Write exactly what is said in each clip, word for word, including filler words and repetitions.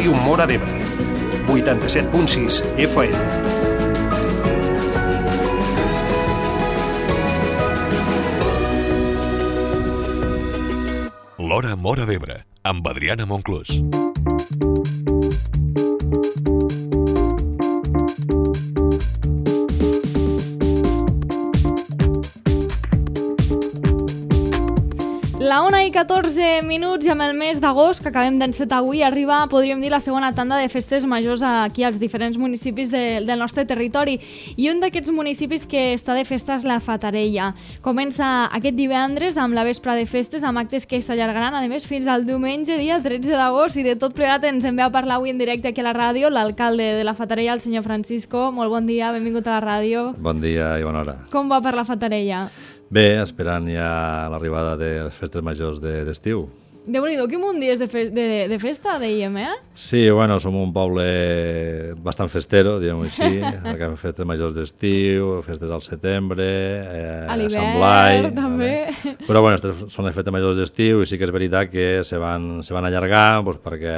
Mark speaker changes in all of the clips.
Speaker 1: Ràdio Móra d'Ebre, vuitanta-set punt sis F M.
Speaker 2: L'Hora Móra d'Ebre, amb Adriana Monclús.
Speaker 3: La una i catorze minuts i amb el mes d'agost que acabem d'encetar avui arriba, podríem dir, la segona tanda de festes majors aquí als diferents municipis de, del nostre territori. I un d'aquests municipis que està de festa és la Fatarella. Comença aquest divendres amb la vespra de festes, amb actes que s'allargaran, a més, fins al diumenge, dia tretze d'agost, i de tot plegat ens en ve a parlar avui en directe aquí a la ràdio l'alcalde de la Fatarella, el senyor Francisco. Molt bon dia, benvingut a la ràdio.
Speaker 4: Bon dia i bona hora.
Speaker 3: Com va per la Fatarella?
Speaker 4: Bé, esperant ja l'arribada de les festes majors d'estiu.
Speaker 3: De Déu-n'hi-do, quin munt dies de, fe de, de festa, dèiem, eh?
Speaker 4: Sí, bueno, som un poble bastant festero, diguem-ho així. Acabem festes majors d'estiu, festes al setembre, eh,
Speaker 3: a
Speaker 4: Sant Blai...
Speaker 3: també.
Speaker 4: Vale. Però bueno, són les festes majors d'estiu i sí que és veritat que se van, se van allargar doncs, perquè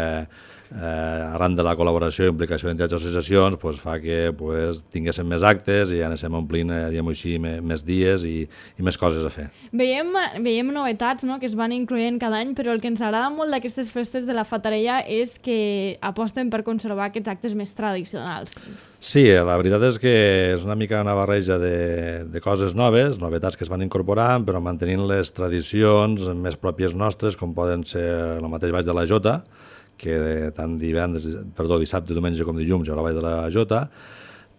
Speaker 4: eh, arran de la col·laboració i implicació d'entitats i associacions pues, fa que pues, tinguéssim més actes i anéssim omplint eh, diguem-ho així, més, més dies i, i més coses a fer.
Speaker 3: Veiem, veiem novetats, no?, que es van incloent cada any, però el que ens agrada molt d'aquestes festes de la Fatarella és que aposten per conservar aquests actes més tradicionals.
Speaker 4: Sí, la veritat és que és una mica una barreja de, de coses noves, novetats que es van incorporant, però mantenint les tradicions més pròpies nostres, com poden ser el mateix Ball de la Jota, que tant divendres, perdó, dissabte, diumenge com dilluns hi haurà Ball de la Jota,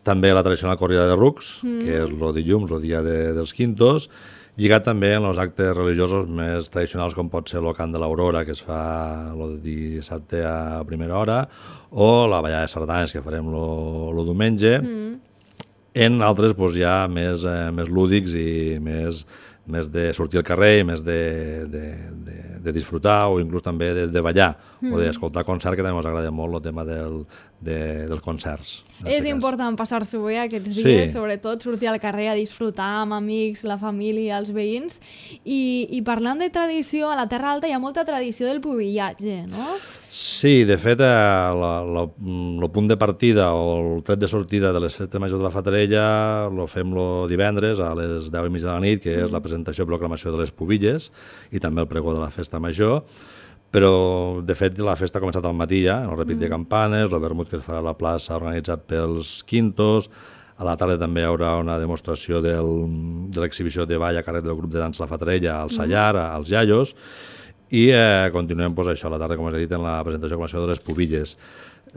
Speaker 4: també la tradicional corrida de rucs, mm. que és el dilluns, el dia de, dels quintos, lligat també en els actes religiosos més tradicionals com pot ser el cant de l'Aurora, que es fa el dissabte a primera hora, o la ballada de sardanes, que farem el diumenge, mm. en altres doncs, ja més, eh, més lúdics i més, més de sortir al carrer, més de, de, de, de disfrutar o inclús també de, de ballar mm. o d'escoltar concert, que també ens agrada molt el tema del, de, dels concerts.
Speaker 3: És important passar-s'ho bé aquests dies, sí. Sobretot sortir al carrer a disfrutar amb amics, la família, els veïns. I, i parlant de tradició, a la Terra Alta hi ha molta tradició del pubillatge, no?
Speaker 4: Sí, de fet, el punt de partida o el tret de sortida de les festes majors de la Fatarella el fem el divendres a les deu i mitja de la nit, que és la presentació i proclamació de les pubilles i també el pregó de la festa major. Però, de fet, la festa ha començat al matí ja, el repit mm. de campanes, el vermut que es farà a la plaça organitzat pels quintos, a la tarda també hi haurà una demostració del, de l'exhibició de ball a càrrec del grup de dansa La Fatarella al Sallar, mm. als Iaios, i eh, continuem pues, això a la tarda, com us he dit, en la presentació i proclamació de les pubilles.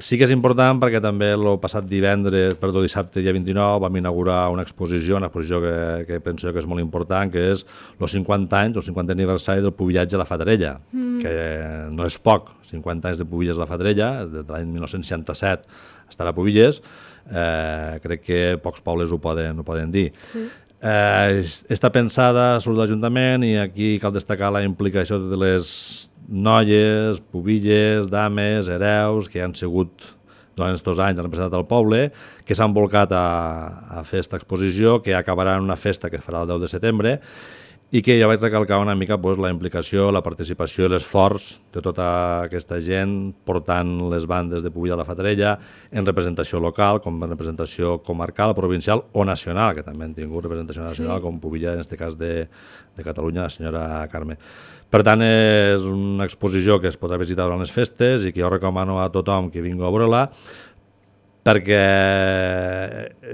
Speaker 4: Sí que és important perquè també el passat divendres, perdó, dissabte, dia vint-i-nou, vam inaugurar una exposició, una exposició que, que penso que és molt important, que és els cinquanta anys, el cinquantè aniversari del pubillatge a la Fatarella, mm. que no és poc, cinquanta anys de pubilles a la Fatarella, des de l'any mil nou-cents seixanta-set estarà a Pubilles, eh, crec que pocs pobles ho poden, ho poden dir. Sí. Eh, està pensada, surt de l'Ajuntament i aquí cal destacar la implicació de les noies, pubilles, dames, hereus, que han sigut durant aquests anys han representat el poble, que s'han volcat a, a fer aquesta exposició, que acabarà en una festa que farà el deu de setembre, i que jo vaig recalcar una mica pues, la implicació, la participació i l'esforç de tota aquesta gent portant les bandes de Pubilla a la Fatarella en representació local, com en representació comarcal, provincial o nacional, que també han tingut representació nacional, sí. com Pubilla, en aquest cas de, de Catalunya, la senyora Carme. Per tant, és una exposició que es podrà visitar durant les festes i que jo recomano a tothom que vingui a veure-la, perquè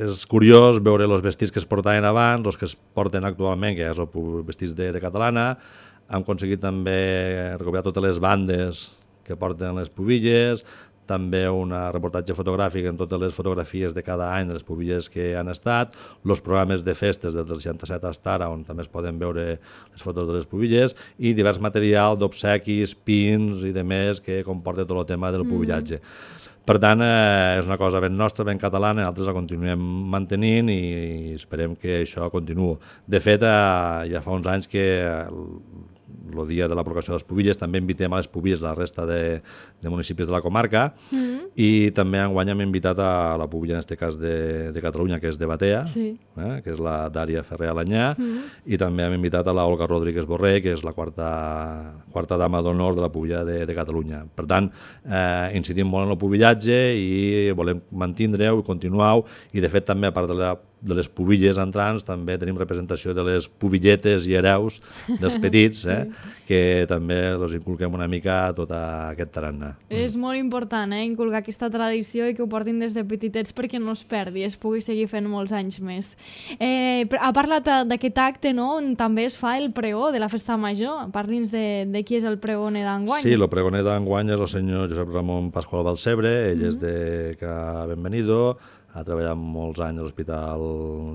Speaker 4: és curiós veure els vestits que es portaven abans, els que es porten actualment, que ja són vestits de, de catalana. Hem aconseguit també recuperar totes les bandes que porten les pubilles, també un reportatge fotogràfic en totes les fotografies de cada any de les pubilles que han estat, els programes de festes des del seixanta-set fins ara, on també es poden veure les fotos de les pubilles, i divers material d'obsequis, pins i demés que comporta tot el tema del pubillatge. Mm. Per tant, eh, és una cosa ben nostra, ben catalana, nosaltres la continuem mantenint i esperem que això continuï. De fet, eh, ja fa uns anys que el dia de la proclamació de les Pubilles. També invitem a les Pubilles la resta de, de municipis de la comarca mm. i també enguany hem invitat a la Pubilla, en aquest cas de, de Catalunya, que és de Batea, sí. eh, que és la Dària Ferrer Alanyà, mm. i també hem invitat a la Olga Rodríguez Borré, que és la quarta, quarta dama d'honor de la Pubilla de, de Catalunya. Per tant, eh, incidim molt en el pubillatge i volem mantindre-ho i continuar-ho, i de fet també, a part de la de les pubilles entrants, també tenim representació de les pubilletes i hereus dels petits, eh? sí. que també els inculquem una mica tot aquest tarannà.
Speaker 3: És molt important, eh? inculcar aquesta tradició i que ho portin des de petitets perquè no es perdi, es pugui seguir fent molts anys més. Eh, ha parlat d'aquest acte, no?, on també es fa el pregó de la Festa Major. Parli'ns de, de qui és el pregoner d'enguany.
Speaker 4: Sí, el pregoner d'enguany és el senyor Josep Ramon Pasqual Balcebre, ell mm-hmm. és de Ca Benvenido, ha treballat molts anys a l'Hospital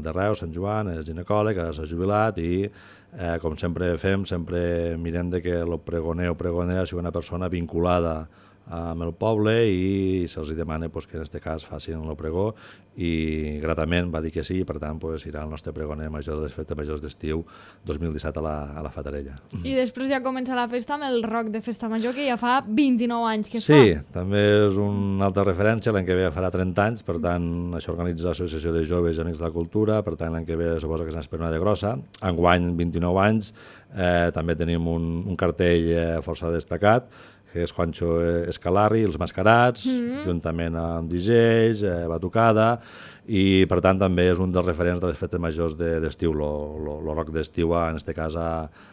Speaker 4: de Reus, Sant Joan, és ginecòleg, s'ha jubilat i, eh, com sempre fem, sempre mirem de que el pregoner o pregonera sigui una persona vinculada amb el poble i se'ls demana pues, que en aquest cas facin el pregó, i gratament va dir que sí, i per tant pues, serà el nostre pregoner major de les festes majors d'estiu dos mil disset a la, a la Fatarella.
Speaker 3: I després ja comença la festa amb el rock de Festa Major, que ja fa vint-i-nou anys que
Speaker 4: sí,
Speaker 3: fa.
Speaker 4: Sí, també és una altra referència, l'any que ve farà trenta anys, per tant això organitza l'Associació de Joves i Amics de la Cultura, per tant l'any que ve suposo que és una espernada grossa. Enguany, vint-i-nou anys, eh, també tenim un, un cartell eh, força destacat, que és Juancho Escalarri, Els Mascarats, mm-hmm. juntament amb D Js, eh, batucada, i per tant també és un dels referents de les festes majors d'estiu, el rock d'estiu, en aquest cas a,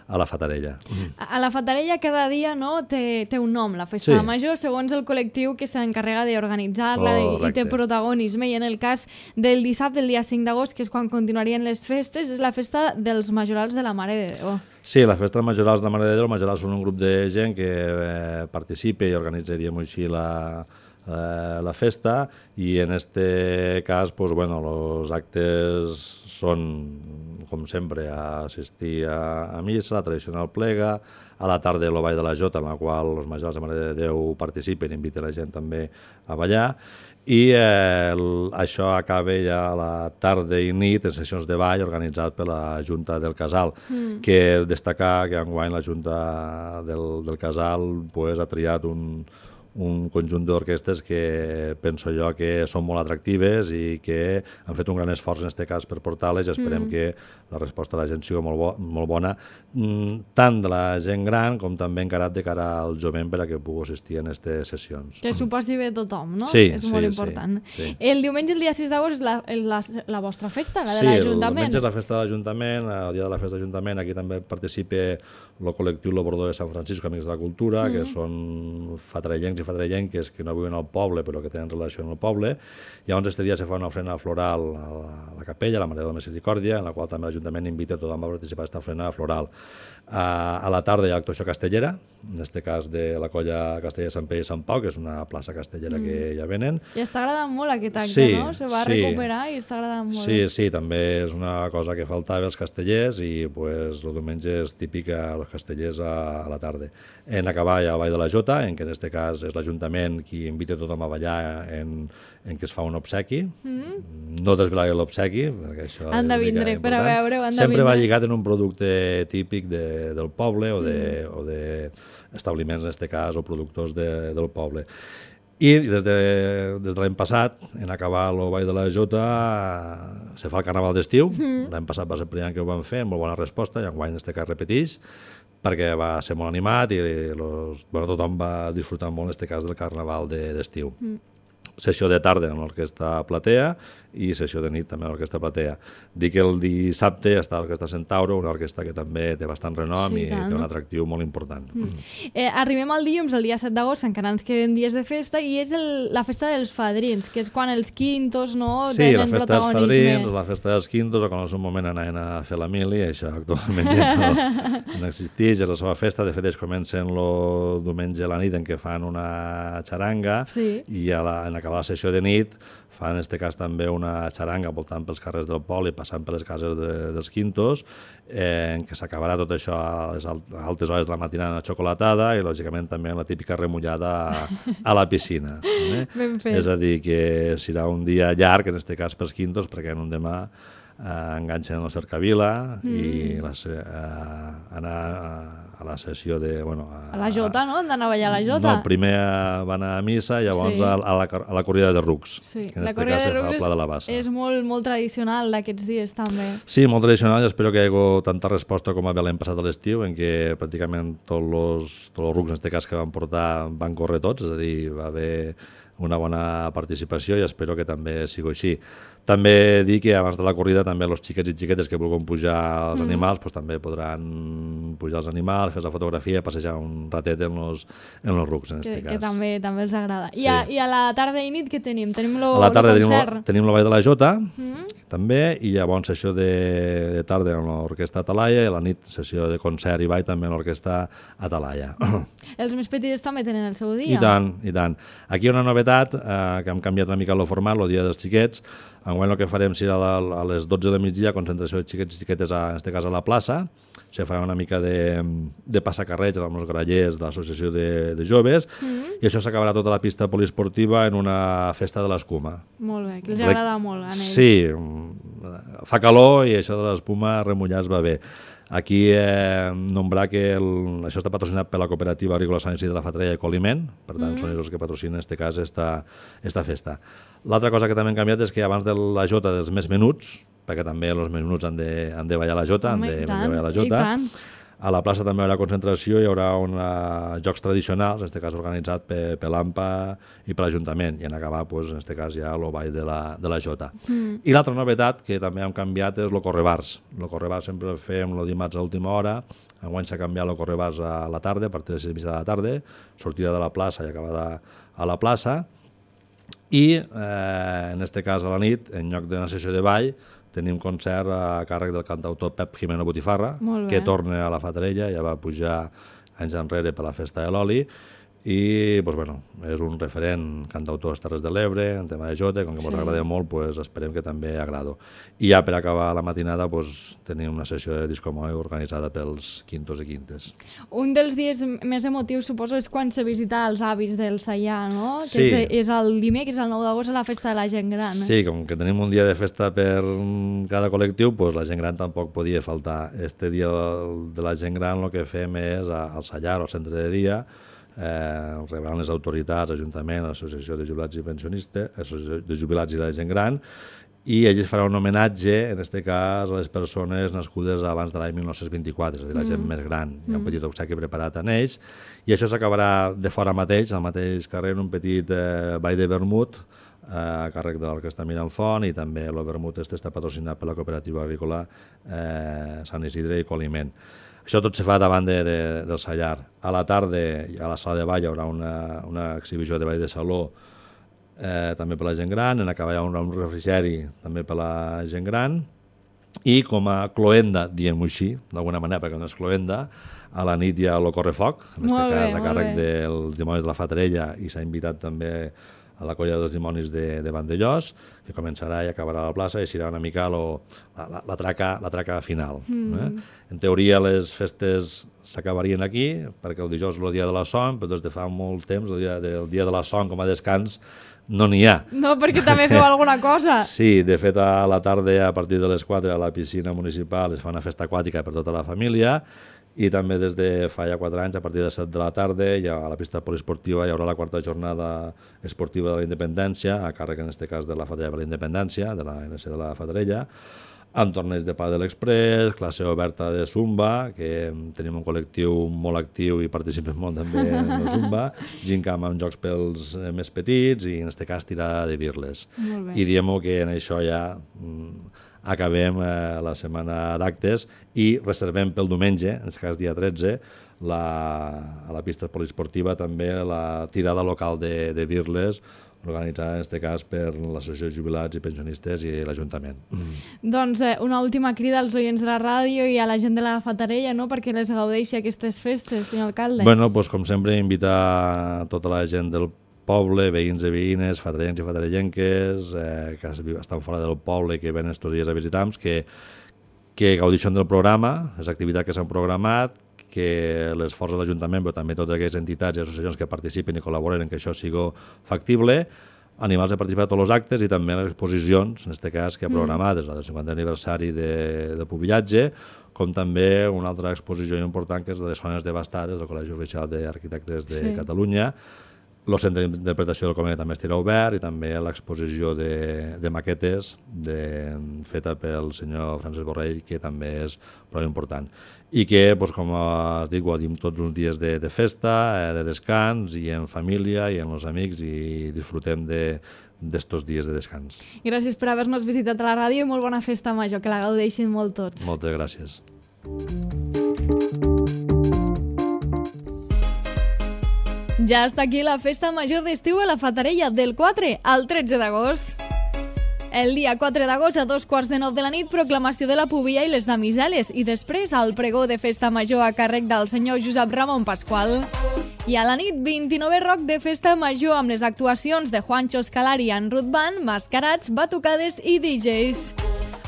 Speaker 4: a la Fatarella.
Speaker 3: A la Fatarella cada dia no, té, té un nom, la Festa sí. Major, segons el col·lectiu que s'encarrega d'organitzar-la i, i té protagonisme, i en el cas del dissabte, el dia cinc d'agost, que és quan continuarien les festes, és la festa dels Majorals de la Mare de Déu.
Speaker 4: Sí, la festa dels Majorals de la Mare de Déu, els Majorals són un grup de gent que eh, participa i organitza, diríem així, la, eh, la festa, i en este cas, pues, bueno, els actes són, com sempre, a assistir a, a missa, la tradicional plega, a la tarda el ball de la Jota, en la qual els Majorals de la Mare de Déu participen i inviten la gent també a ballar, i eh, el, això acaba ja a la tarda i nit en sessions de ball organitzat per la Junta del Casal, mm. que destacar que enguany la Junta del, del Casal pues, ha triat un, un conjunt d'orquestes que penso jo que són molt atractives i que han fet un gran esforç en aquest cas per portar-les, i esperem mm. que la resposta de la gent sigui molt, bo, molt bona, tant de la gent gran com també encarat de cara al jovent per a que pugui assistir a aquestes sessions.
Speaker 3: Que s'ho passi bé tothom, no?
Speaker 4: Sí,
Speaker 3: és
Speaker 4: sí,
Speaker 3: molt important.
Speaker 4: Sí, sí.
Speaker 3: El diumenge, el dia sis d'agost, és, la, és la, la vostra festa, la de
Speaker 4: sí,
Speaker 3: l'Ajuntament.
Speaker 4: Sí, el diumenge és la festa de l'Ajuntament, el dia de la festa de l'Ajuntament, aquí també participa el col·lectiu Lo Bordó de Sant Francisco, Amics de la Cultura, mm. que són fatarellencs i fatarellenques que no viuen al poble però que tenen relació amb el poble. Llavors, este dia se fa una ofrena floral a la, a la capella, a la Mare de la Misericòrdia, en la qual també l'Ajuntament invita a tothom a participar d'aquesta ofrena floral. A, a la tarda hi ha actuació castellera, en aquest cas de la colla Castellera Sant Pere i Sant Pau, que és una plaça castellera mm. que ja venen.
Speaker 3: I està agradant molt aquest acte,
Speaker 4: sí,
Speaker 3: no? Se va
Speaker 4: sí.
Speaker 3: recuperar i està agradant molt.
Speaker 4: Sí, sí, també és una cosa que faltava als castellers, i pues, el diumenge és típic als castellers a, a la tarda. En acabar hi ha el Ball de la Jota, en què en aquest cas és l'Ajuntament qui invita tothom a ballar en, en què es fa un obsequi. Mm. No desvelaré l'obsequi, perquè això
Speaker 3: han de vindre per a veure-ho.
Speaker 4: Sempre va lligat en un producte típic de, del poble o de, mm. o de establiments, en aquest cas, o productors de, del poble. I des de, des de l'any passat, en acabar el Ball de la Jota, se fa el Carnaval d'estiu. Mm. L'any passat va ser el primer any que ho vam fer, amb molt bona resposta, i enguany en aquest cas repeteix, perquè va ser molt animat i los, bueno, tothom va disfrutar molt en aquest cas del Carnaval d'estiu. De, mm. Sessió de tarda amb l'Orquestra Platea i sessió de nit també amb l'Orquestra Platea. Dic que el dissabte està l'Orquestra Centauro, una orquestra que també té bastant renom sí, i tant. Té un atractiu molt important. Mm.
Speaker 3: Eh, arribem al dilluns, el dia set d'agost, encara ens queden dies de festa, i és el, la festa dels fadrins, que és quan els quintos no,
Speaker 4: sí,
Speaker 3: tenen protagonisme. Sí,
Speaker 4: la festa dels fadrins, la festa dels quintos, o quan en un moment anaven a fer la mili, això actualment ja no, no existeix, és la seva festa. De fet, ells comencen el diumenge a la nit en què fan una xaranga sí. i a la, en acabar la sessió de nit fan en aquest cas també una xaranga voltant pels carrers del poble i passant per les cases de, dels quintos, eh, en què s'acabarà tot això a les altes hores de la matinada xocolatada i lògicament també la típica remullada a, a la piscina. Eh?
Speaker 3: Ben fet.
Speaker 4: És a dir, que serà un dia llarg, en aquest cas pels quintos, perquè en un demà eh, enganxen la cercavila mm. i la, eh, anar a la sessió de... Bueno,
Speaker 3: a, a la Jota, no? Han d'anar a ballar a la Jota.
Speaker 4: No, primer va anar a missa i llavors sí. a, a, la, a la corrida de rucs.
Speaker 3: Sí.
Speaker 4: Que en
Speaker 3: la
Speaker 4: este
Speaker 3: corrida
Speaker 4: cas
Speaker 3: de rucs
Speaker 4: és, Pla de la Bassa.
Speaker 3: és molt, molt tradicional d'aquests dies, també.
Speaker 4: Sí, molt tradicional, i espero que hi hagi tanta resposta com va haver l'any passat a l'estiu, en què pràcticament tots els, tots els rucs, en aquest cas, que van portar, van córrer tots, és a dir, va haver una bona participació i espero que també sigui així. També dir que abans de la corrida també els xiquets i xiquetes que vulguin pujar els mm. animals pues, també podran pujar els animals, fer la fotografia i passejar un ratet en els en los rucs, en
Speaker 3: que,
Speaker 4: aquest cas.
Speaker 3: Que també, també els agrada.
Speaker 4: Sí.
Speaker 3: I, a, I a la tarda i nit què tenim? Tenim lo,
Speaker 4: a la tarda
Speaker 3: lo
Speaker 4: tenim,
Speaker 3: concert.
Speaker 4: tenim la Vall de la Jota,
Speaker 3: mm.
Speaker 4: també, i llavors sessió de, de tarda amb l'orquestra Atalaia i a la nit sessió de concert i ball també amb l'orquestra Atalaia.
Speaker 3: Els més petits també tenen el seu dia?
Speaker 4: I tant, i tant. Aquí hi ha una novetat, eh, que hem canviat una mica el format, el dia dels xiquets. Enguany el que farem serà a les dotze del migdia, concentració de xiquets i xiquetes, a, en aquest cas a la plaça. Se farà una mica de, de passacarreig amb els grallers de l'associació de, de joves, mm-hmm. i això s'acabarà tota la pista poliesportiva en una festa de l'escuma.
Speaker 3: Molt bé, que els agrada molt a ells.
Speaker 4: Sí, fa calor i això de l'espuma remullar es va bé. Aquí eh, nombrar que el, això està patrocinat per la cooperativa agrícola Sant Isidre de la Fatarella i Coliment, per tant mm. són ells els que patrocinen en aquest cas esta, esta festa. L'altra cosa que també hem canviat és que abans de la jota dels més menuts, perquè també els menuts han de, han de ballar la jota,
Speaker 3: Home,
Speaker 4: han de,
Speaker 3: tant,
Speaker 4: han de ballar la jota.
Speaker 3: I tant.
Speaker 4: A la plaça també hi haurà concentració, hi haurà una, jocs tradicionals, en aquest cas organitzat per, per l'A M P A i per l'Ajuntament, i en acabar, pues, en aquest cas, ja el ball de la, de la Jota. Mm. I l'altra novetat que també hem canviat és el correbars. El correbars sempre el fem el dimarts a última hora, enguany s'ha canviat el correbars a la tarda, a partir de les sis de la tarda, sortida de la plaça i acabada a la plaça, i eh, en aquest cas a la nit, en lloc d'una sessió de ball, tenim concert a càrrec del cantautor Pep Jimeno Botifarra, que torna a la Fatarella, ja va pujar anys enrere per la festa de l'oli, i pues, bueno, és un referent cantautor a les Terres de l'Ebre, en tema de jota, com que ens sí. agrada molt, pues, esperem que també agrado. I ja per acabar la matinada pues, tenim una sessió de disco moe organitzada pels quintos i quintes.
Speaker 3: Un dels dies més emotius, suposo, és quan se visita els avis del Saià, no?
Speaker 4: Sí.
Speaker 3: Que és, és el dimecres, el nou d'agost, a la festa de la gent gran. Eh?
Speaker 4: Sí, com que tenim un dia de festa per cada col·lectiu, pues, la gent gran tampoc podia faltar. Este dia de la gent gran el que fem és al Saià, al centre de dia, eh, rebran les autoritats, Ajuntament, Associació de Jubilats i Pensionistes, Associació de Jubilats i de la gent gran, i ells faran un homenatge, en aquest cas, a les persones nascudes abans de l'any mil nou-cents vint-i-quatre, és a dir, la gent mm. més gran. Hi ha un petit obsequi preparat en ells, i això s'acabarà de fora mateix, al mateix carrer, en un petit eh, ball de vermut, eh, a càrrec de l'Orquestra Miramfont, i també el vermut este està patrocinat per la cooperativa agrícola eh, Sant Isidre i Coliment. Això tot se fa davant de, de, del Sallar. A la tarda, a la sala de ball, hi haurà una, una exhibició de ball de saló, eh, també per la gent gran, en acabar hi haurà un refrigeri també per la gent gran, i com a cloenda, diem-ho així, d'alguna manera, perquè no és cloenda, a la nit hi ha el correfoc, en aquest cas a càrrec dels dimonis de la Fatarella, i s'ha invitat també a la colla dels dimonis de, de Vandellós, que començarà i acabarà a la plaça, i serà una mica lo, la, la, la, traca, la traca final. Mm. Eh? En teoria les festes s'acabarien aquí, perquè el dijous és el dia de la son, però des de fa molt temps, el dia, de, el dia de la son com a descans, no n'hi ha.
Speaker 3: No, perquè també feu alguna cosa.
Speaker 4: Sí, de fet a la tarda, a partir de les quatre, a la piscina municipal es fa una festa aquàtica per tota la família, i també des de fa ja quatre anys, a partir de les set de la tarda, ja a la pista poliesportiva hi haurà la quarta jornada esportiva de la Independència, a càrrec en aquest cas de la Fatarella per la Independència, de la N C de la Fatarella, amb torneigs de pàdel express, classe oberta de Zumba, que tenim un col·lectiu molt actiu i participem molt també en el Zumba, gincam amb jocs pels més petits i en aquest cas tirar de birles. I diem que en això ja acabem eh, la setmana d'actes i reservem pel diumenge, en aquest cas dia tretze, la, a la pista poliesportiva també la tirada local de, de birles, organitzada en aquest cas per l'Associació de Jubilats i Pensionistes i l'Ajuntament. Mm.
Speaker 3: Doncs eh, una última crida als oients de la ràdio i a la gent de la Fatarella, no?, perquè les gaudeixi aquestes festes, senyor alcalde.
Speaker 4: Bueno, doncs, com sempre, invitar tota la gent del poble, veïns i veïnes, fatarellencs i fatarellenques, eh, que estan fora del poble i que venen estos dies a visitar-nos, que, que gaudeixen del programa, les activitats que s'han programat, que les forces de l'Ajuntament, però també totes aquelles entitats i associacions que participen i col·laboren en que això sigui factible, animals de participar a tots els actes i també les exposicions, en aquest cas, que ha programades, la del cinquantè aniversari de, de Pubillatge, com també una altra exposició important que és de les zones devastades del Col·legi Oficial d'Arquitectes de sí. Catalunya. El centre d'interpretació del conveni també estarà obert i també l'exposició de, de maquetes de, feta pel senyor Francesc Borrell, que també és prou important. I que, doncs, com dic, ho dic tots uns dies de, de festa, eh, de descans, i en família i amb els amics, i disfrutem d'estos dies de descans.
Speaker 3: Gràcies per haver-nos visitat a la ràdio i molt bona festa major, que la gaudeixin molt tots.
Speaker 4: Moltes gràcies.
Speaker 3: Ja està aquí la festa major d'estiu a la Fatarella, del quatre al tretze d'agost. El dia quatre d'agost a dos quarts de nou de la nit, proclamació de la Pubilla i les damiseles, i després el pregó de festa major a càrrec del senyor Josep Ramon Pasqual. I a la nit, vint-i-novè rock de festa major amb les actuacions de Juancho Scalari en Ruth Band, mascarats, batucades i D Js.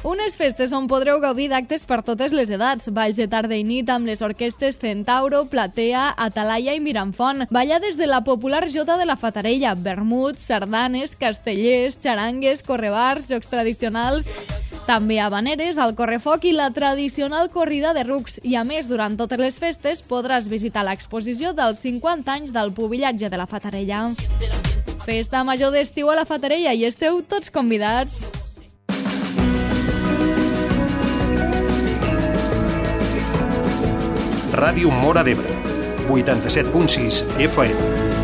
Speaker 3: Unes festes on podreu gaudir d'actes per totes les edats, balls de tarda i nit amb les orquestes Centauro, Platea, Atalaya i Miramfont, ballades de la popular jota de la Fatarella, vermuts, sardanes, castellers, xarangues, correbars, jocs tradicionals, també habaneres, el correfoc i la tradicional corrida de rucs. I a més, durant totes les festes podràs visitar l'exposició dels cinquanta anys del Pubillatge de la Fatarella. Festa major d'estiu a la Fatarella i esteu tots convidats.
Speaker 1: Ràdio Móra d'Ebre, vuitanta-set punt sis F M.